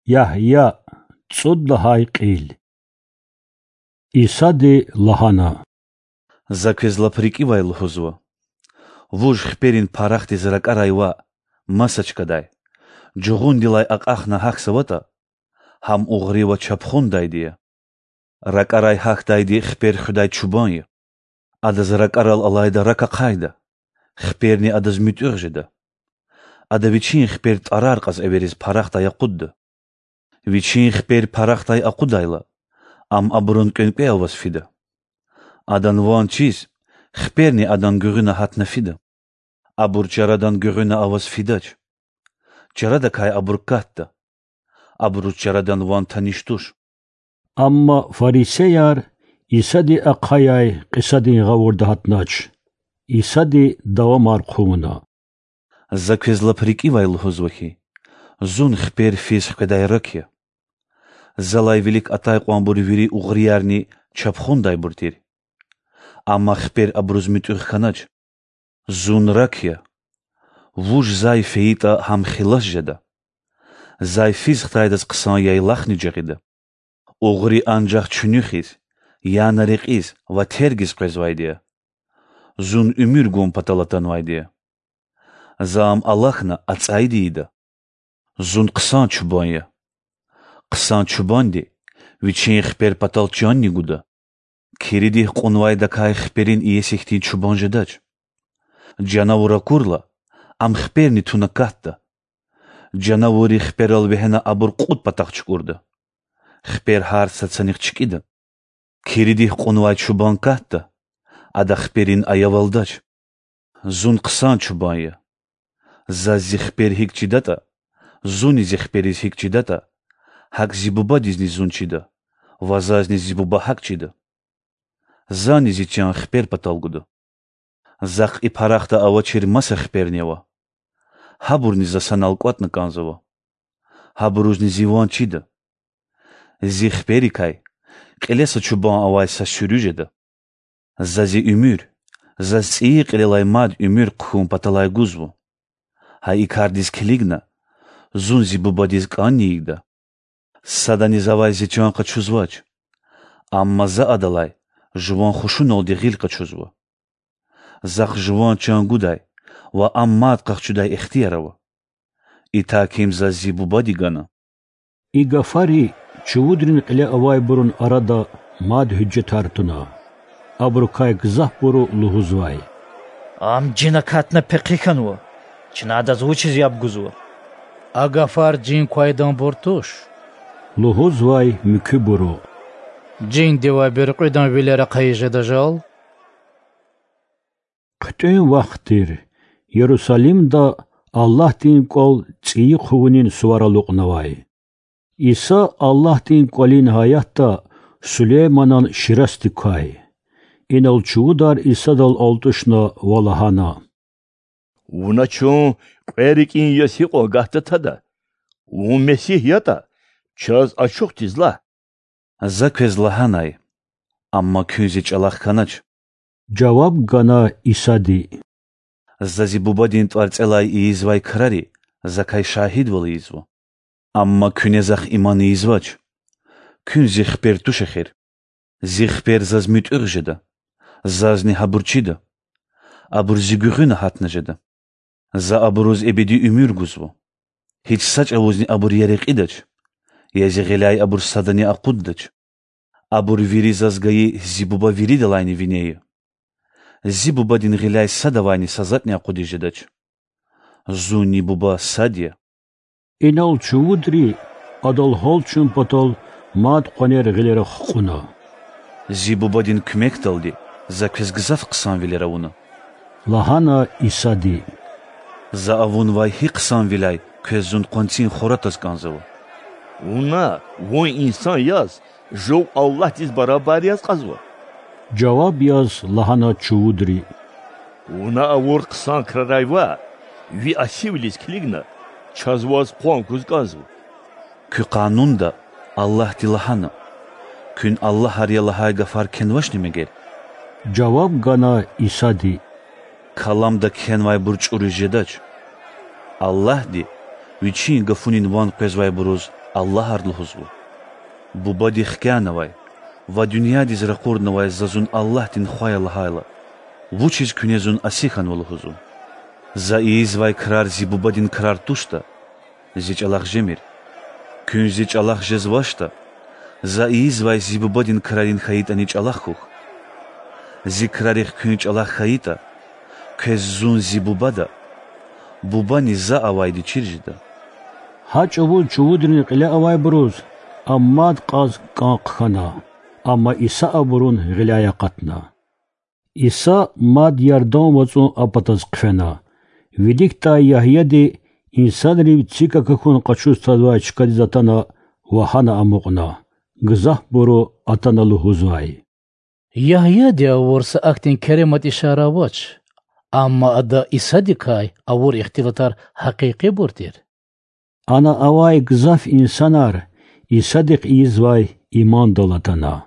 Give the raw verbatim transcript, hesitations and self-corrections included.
Ягья, цӀуд лагьай кьил. Исади лагьана: За квез лап рикӀивай лугьузва: вуж хиперин парахдиз ракӀарай ваъ, маса чкадай, жугъундилай акьахна гьахьзаватӀа, гьам угъри ва чапхундайди я. РакӀарай гьахьдайди хипер хуьдай чубан я. Адаз ракӀарал алайда рак ахъайда, хиперни адаз муьтӀуьгъ жеда. Ада вичин хипер тӀварар кьаз эвериз парахдай акъудда. Вичин хипер парахдай акъудайла, ам абурун кӀвенкӀве аваз фида. Адан ван чиз, хиперни адан гуьгъуьна гьатна фида. Абур чарадан гуьгъуьна аваз фидач. Чарадакай абур катда. Абуруз чарадан ван таниш туш. Амма фарисеяр Исади ахъаяй кьисадин гъавурда гьатнач. Исади давамар хъувуна: За квез лап рикӀивай лугьузва хьи, зун хипер физ хкведай рак я. Залай вилик атай кьванбур вири угъриярни чапхундайбур тир. Амма хипер абуруз муьтӀуьгъ хьанач. Зун рак я. Вуж зай фейитӀа, гьам хилас жеда. Зай физ хтайдаз хъсан яйлахни жагъида. Угъри анжах чуьнуьхиз, яна рекьиз ва тергиз къвезвайди я. Зун уьмуьр гун патал атанвайди я. За ам алахьна, ацӀайди ийида. Зун хъсан чубан я. Хъсан чубанди вичин хипер патал чанни гуда. Киридихъ кьунвайдакай хиперин иеси хьтин чубан жедач. Жанавур акурла, ам хиперни туна катда. Жанавурри хиперал вегьена абур кьуд патахъ чукӀурда. Хипер гьар сад санихъ чкӀида. Киридихъ кьунвай чубан катда, ада хиперин аявалдач. Зун хъсан чубан я. Заз зи хипер гьикӀ чидатӀа, зунни зи хипериз гьикӀ чидатӀа, гьакӀ зи Бубадизни зун чида, ва зазни зи Буба гьакӀ чида. Зани зи чан хипер патал гуда. Захъ и парахда авачир маса хиперни ава. Гьабурни за санал кӀватӀна кӀанзава. Гьабурузни зи ван чида. Зи хиперикай кьиле са чубан авай са суьруь жеда. За зи уьмуьр, заз цӀийи кьилелай мад уьмуьр хъхьун паталай гузва. Гьа и кардиз килигна, зун зи Бубадиз кӀанни ийида. Садани завай зи чан къачузвач, амма за адалай жуван хушуналди гъил къачузва. Захъ жуван чан гудай ва ам мад къахчудай ихтияр ава. Итак, им заз зи Бубади гана. И гафари чувудрин кьиле авайбурун арада мад гьуьжетар туна. Абурукай гзафбуру лугьузвай: Ам жин акатна пехъи хьанва, чна адаз вучиз яб гузва? А гафар жин квайданбур туш,— лугьузвай муькуьбуру,— жиндивай буьркьуьдан вилер ахъайиз жеда жал. ХъуьтӀуьн вахт тир, Ярусалимда Аллагьдин кӀвал цӀийи хъувунин сувар алукьнавай. Иса Аллагьдин кӀвалин гьаятда Сулейманан ширасди квай. Инал чувудар Исадал алтӀушна ва лагьана: Вуна чун кьве рикӀин яз гьикьван гагьда тада? Вун Месигь ятӀа, чаз ачухдиз лагь. За квез лагьанай, амма куьн зи чӀалахъ хьанач,— жаваб гана Исади. За зи Бубадин тӀварцӀелай ийизвай крари Закай шагьидвал ийизва. Амма куьне Захъ иман ийизвач. Куьн зи хипер туш эхир. Зи хипер заз муьтӀуьгъ жеда, зазни гьабур чида. Абур зи гуьгъуьна гьатна жеда. За абуруз эбеди уьмуьр гузва. Гьич са чӀавузни абур я рекьидач, я зи гъиляй абур садани акъуддач. Абур вири заз гайи зи Буба виридалайни вине я. Зи Бубадин гъиляй садавайни са затӀни акъудиз жедач. Зунни Буба сад я. Инал чувудри Адал гьалчун патал мад къванер гъилера хкьуна. Зи Бубадин куьмекдалди За квез гзаф хъсанвилер авуна,— лагьана Исади. За авунвай гьи хъсанвиляй квез Зун къванцин хура тваз кӀанзава? Вуна, Вун инсан яз, жув Аллагьдиз барабар яз кьазва,— жаваб яз лагьана чувудри. Вуна авур хъсан крарай ваъ, ви асивилиз килигна, чаз Ваз къван гуз кӀанзава. Куь Къанунда Аллагьди лагьана: Куьн аллагьар я лагьай гафар кхьенвачни мегер? жаваб гана Исади. Каламда кхьенвайбур чӀуриз жедач. Аллагьди Вичин гафунин ван къвезвайбуруз Аллагьар лугьузва: Бубади хкянавай ва дуьньядиз ракъурнавай За Зун Аллагьдин Хва я лагьайла, вучиз куьне Зун аси хьанва лугьузва? За ийизвай крар Зи Бубадин крар туштӀа, Зи чӀалахъ жемир. Куьн Зи чӀалахъ жезвачтӀа, За ийизвай Зи Бубадин крарин хьайитӀани чӀалахъ хьухь. Зи крарихъ куьн чӀалахъ хьайитӀа, квез Зун Зи Бубада, Бубани За авайди чир жеда. Гьа чӀавуз чувудрин кьиле авайбуруз а мад кьаз кӀан хъхьана, амма Иса абурун гъиляй акъатна. Иса мад Ярдан вацӀун а патаз хъфена. Виликдай Ягьяди инсанрив цик акахьун къачуз тазвай чкадиз атана ва гьана амукьна. Гзафбуру атана лугьузвай: Ягьяди авур са ахьтин керемат ишара авач, амма ада Исадикай авур ихтилатар гьакъикъибур тир. Ана авай гзаф инсанар Исадихъ ийизвай имандал атана.